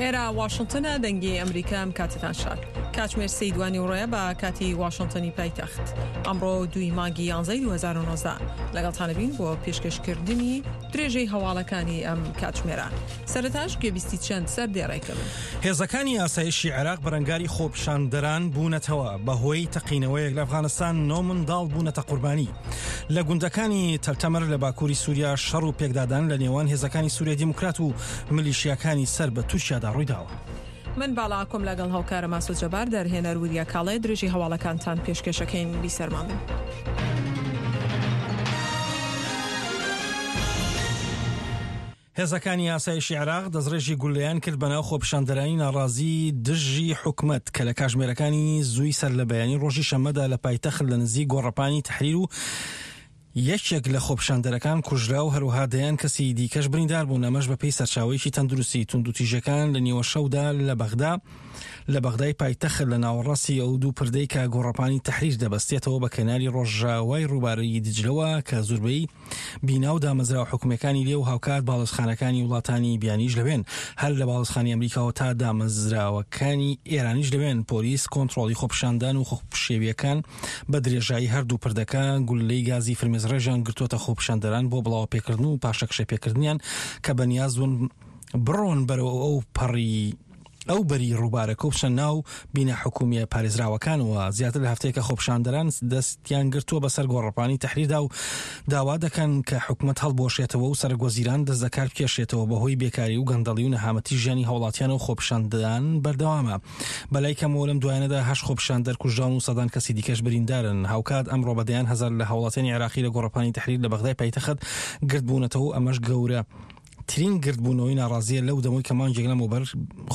ئێرە واشنتنە دەنگی ئەمریکا ئەم کاتتان شاد کاتژمێر سێی دوانیوڕۆیە بە کاتی واشنتنی پایتەخت ئەمڕۆ دووی مانگی یانزەی 2019 لەگەڵتانە بین بۆ پێشکەشکردنی درێژەی هەواڵەکانی ئەم کاتژمێرە سەرەتاش گوێبیستی چەند سەر دێڕێکم. هێزەکانی ئاسایشی عێراق بەرەنگاری خۆپیشاندەران بوونەتەوە، بەهۆی تەقینەوەیەک لە ئەفغانستان نۆ منداڵ بوونەتە قوربانی. لە گوندەکانی تەلتەمر لە باکووری سووریا شەڕ و پێکدادان لە نێوان هێزەکانی سووریای دیموکرات و ملیشیاکانی سەر بە تورکیادا ڕوویداوە. من باڵا ئاکۆم لەگەڵ هاوکارم ئاسۆ جەبار، دەرهێنەر وریا کاڵێ، درێژەی هەواڵەکانتان پێشکێشەکەین، بیسەرمان بن. هێزەکانی ئاسایشی عێراق دەستڕێژی گوللەیان کرد بەناو خۆپیشاندەرانی ناڕازی دژی حکومەت کە لە کاژمێرەکانی زووی سەرلەبەیانی ڕۆژی شەممەدا لە پایتەخت لە نزیک گۆڕەپانی تەحریر و یەکێک لە خۆپیشاندەرەکان کوژرا و هەروەها دەیان کەسی دیکەش بریندار بوون، ئەمەش بەپێی سەرچاوەیەکی تەندروستی. توندوتیژیەکان لە نیوەشەودا لە بەغدا لە بەغدای پایتەخت لە ناوەڕاستی ئەو دوو پردەی کە گۆڕەپانی تەحریر دەبەستێتەوە بە کەناری ڕۆژاوای ڕووباری دیجلەوە کە زوربەی بینا و دامەزراوە حکومییەکانی لێ و هاوکات باڵیۆزخانەکانی وڵاتانی بیانیش لەوێن، هەر لە باڵیۆزخانەی ئەمریکاوە تا دامەزراوەکانی ئێرانیش لەوێن، پۆلیس کۆنتڕۆڵی خۆپیشاندان و خۆپشێوییەکان بە درێژایی هەردوو پردەکە گوللەی گازی فرمێسکڕێژیان گرتووەتە خۆپیشاندەران بۆ بڵاوەپێکردن و پاشەکشەپێکردنیان کە بەنیاز بوون بڕۆن بەرەو ئەو پەڕی ئەو بەری ڕووبارەکە و بچنە ناو بینا حکومییە پارێزراوەکانەوە. زیاتر لە هەفتەیەکە خۆپیشاندەران دەستیان گرتووە بەسەر گۆڕەپانی تەحریردا و داوا دەکەن کە حکومەت هەڵبوەشێتەوە و سەرەکوەزیران دەست لەکار بکێشێتەوە بەهۆی بێکاری و گەندەڵی و نەهامەتی ژیانی هاوڵاتیانەوە خۆپیشاندان بەردەوامە. بەلای کەمەوە لەم دوایانەدا هەشت خۆپیشاندەر کوژراون و سەدان کەسی دیکەش بریندارن. هاوکات ئەمڕۆ بە دەیان هەزار لە هاوڵاتیانی عێراقی لە گۆڕەپانی تەحریر لە بەغدای پایتەخت گردبوونەتەوە و ئەمەش گەورە ترین گردبوونەوەی ناڕازییە لەو دەمەی کە مانگێک لەمەوبەر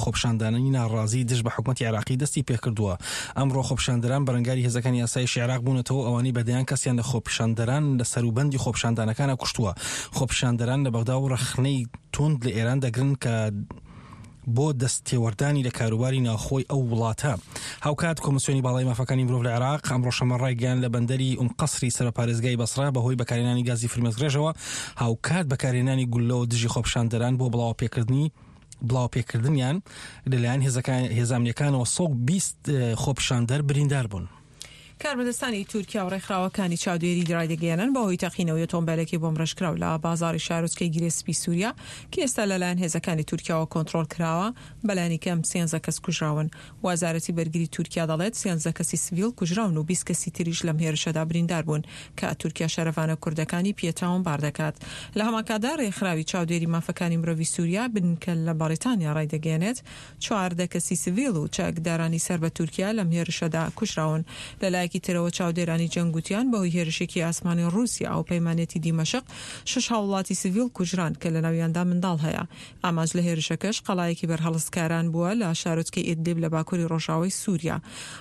خۆپیشاندانانی ناڕازی دژ بە حکومەتی عێراقی دەستی پێکردووە. ئەمڕۆ خۆپیشاندەران بەرەنگاری هێزەکانی ئاسایشی عێراق بوونەتەوە و ئەوانەی بە دەیان کەسیان لە خۆپیشاندەران لە سەروبەندی خۆپیشاندانەکانا کوشتووە. خۆپیشاندەران لە بەغدا و ڕەخنەی توند لە ئێران دەگرن کە بۆ دەستتێوەردانی لە کاروباری ناوخۆی ئەو وڵاتە. هاوکات کۆمسیۆنی باڵای مافەکانی مرۆڤ لە عێراق ئەمڕۆ شەممە ڕایگەیاند لە بەندەری ئوم قەسری سەر بە پارێزگای بەسڕە بەهۆی بەکارهێنانی گازی فرمێسکڕێژەوە هاوکات بەکارهێنانی گوللەوە دژی خۆپیشاندەران بۆ بڵاوەپێکردنی بڵاوەپێکردنیان لەلایەن هێزەکان هێزە ئەمنیەکانەوە 120 خۆپیشاندەر بریندار بوون. کاربەدەستانی تورکیا و ڕێکخراوەکانی چاودێری ڕایدەگەیەنن بەهۆی تەقینەوەی ئۆتۆمبێلێکی بۆمبڕێژکراو لە بازاڕی شارۆچکەی گرێ سپی سوریا کە ئێستا لەلایەن هێزەکانی تورکیاوە کۆنتڕۆڵ کراوە بەلانی کەم سێنزە کەس کوژراون. وەزارەتی بەرگری تورکیا دەڵێت سێنزە کەسی سڤیل کوژراون و 20 کەسی تریش لەم هێرشەدا بریندار بوون کە تورکیا شەرەڤانە کوردەکانی پێ تاوانبار دەکات. لە هەمانکاتدا رێکخراوی چاودێری مافەکانی مرۆڤی سوریا بنکە لە بەڕیتانیا ڕایدەگەیەنێت 14 کەسی سڤیل و چەکدارانی سەر بە تورکیا لەم هێرشەدا کوژراون. لە لایەکی ترەوە چاودێرانی جەنگ گوتیان بەهۆی هێرشێکی ئاسمانی ڕووسیا هاوپەیمانێتی دیمەشق شەش هاووڵاتی سڤیل کوژران کە لەناویاندا منداڵ هەیە. ئامانج لە هێرشەکەش قەڵایەکی بەرهەڵستکاران بووە لە شارۆچکەی ئیدلیب لە باکووری ڕۆژاوای سووریا.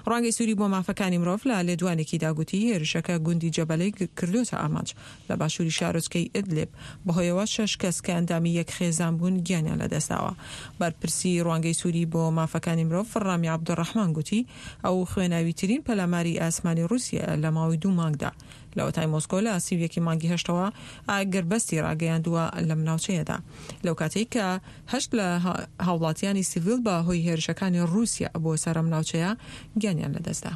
ڕوانگەی سووری بۆ مافەکانی مرۆڤ لە لێدوانێکیدا گوتی هێرشەکە گوندی جەبەلەی کردۆتە ئامانج لە باشووری شارۆچکەی ئیدلیب، بەهۆیەوە شەش کەس کە ئەندامی یەک خێزان بوون گیانیان لەدەستداوە. بەرپرسی ڕوانگەی سووری بۆ مافەکانی مرۆڤ ڕامی عەبدولڕەحمان گوتی ئەو خوێناویترین پەلاماری ئاسمانی ڕووسیایە لە ماوەی دوو مانگدا لەوەتای مۆسکۆ لە 31 ی مانگی هەشتەوە ئاگربەستی ڕاگەیاندووە لەم ناوچەیەدا لەوکاتەی کە هەشت لە هاوڵاتیانی سیڤیل بە هۆی هێرشەکانی ڕووسیا بۆ سەر ئەم ناوچەیە گیانیان لەدەستدا.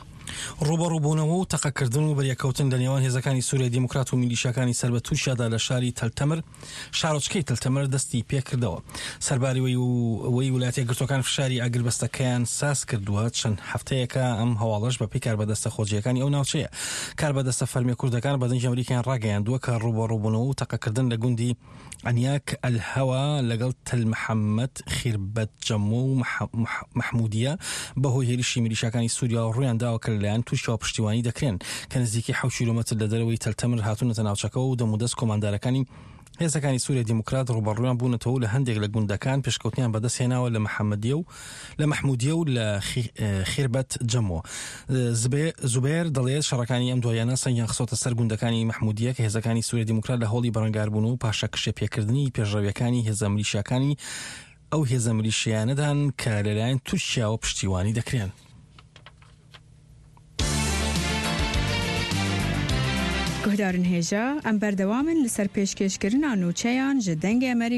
ڕووبەڕووبوونەوە و تەقەکردن و بەریەککەوتن لە نێوان هێزەکانی سوریای دیموکرات و میلیشیاکانی سەر بە تورکیادا لە شاری تەلتەمر شارۆچکەی تەلتەمر دەستی پێکردەوە. سەرباری وەی ولایەتە یەکگرتووەکان فشاری ئاگربەستەکەیان ساز کردووە، چەند هەفتەیەکە ئەم هەواڵەش بەپێی کاربەدەستە خۆجێیەکانی ئەو ناوچەیە. کاربەدەستە فەرمیە کوردەکان بە دەنگی ئەمریکایان ڕاگەیاندووە کە ڕووبەڕووبوونەوە و تەقەکردن لە گوندی عەنیاک ئەلهەوا لەگەڵ تەل محەمەد، خیربەت جەمۆ و مەحمودیە بەهۆی هێرشی میلیشیاکانی سوریاوە ڕوویانداوە کە لەلایەن تورکیاوە پشتیوانی دەکرێن کە نزیکەی حەوت کیلۆمەتر لە دەرەوەی تەل تەمر هاتوونەتە ناوچەکەوە و دەمودەست کۆماندارەکانی هێزەکانی سوریای دیموکرات ڕووبەڕوویان بوونەتەوە و لە هەندێک لە گوندەکان پێشکەوتنیان بەدەستهێناوە لە محەمەدیە و لە مەحمودیە و لە خیربەت جەمۆ. زوبێر دەڵێت شەڕەکانی ئەم دواییانە سەنگیان خستۆتە سەر گوندەکانی مەحمودیە کە هێزەکانی سوریای دیموکرات لە هەوڵی بەرەنگاربوون و پاشەکشێ پێکردنی پێشڕەویەکانی هێزە ملیشیاکانی ئەو هێزە ملیشیانەدان کە لەلایەن تورکیاوە پشتیوانی دەکرێن. Guhdarên hêja, em berdewam in li ser pêşkêşkirina nûçeyan ji Dengê Amerîka.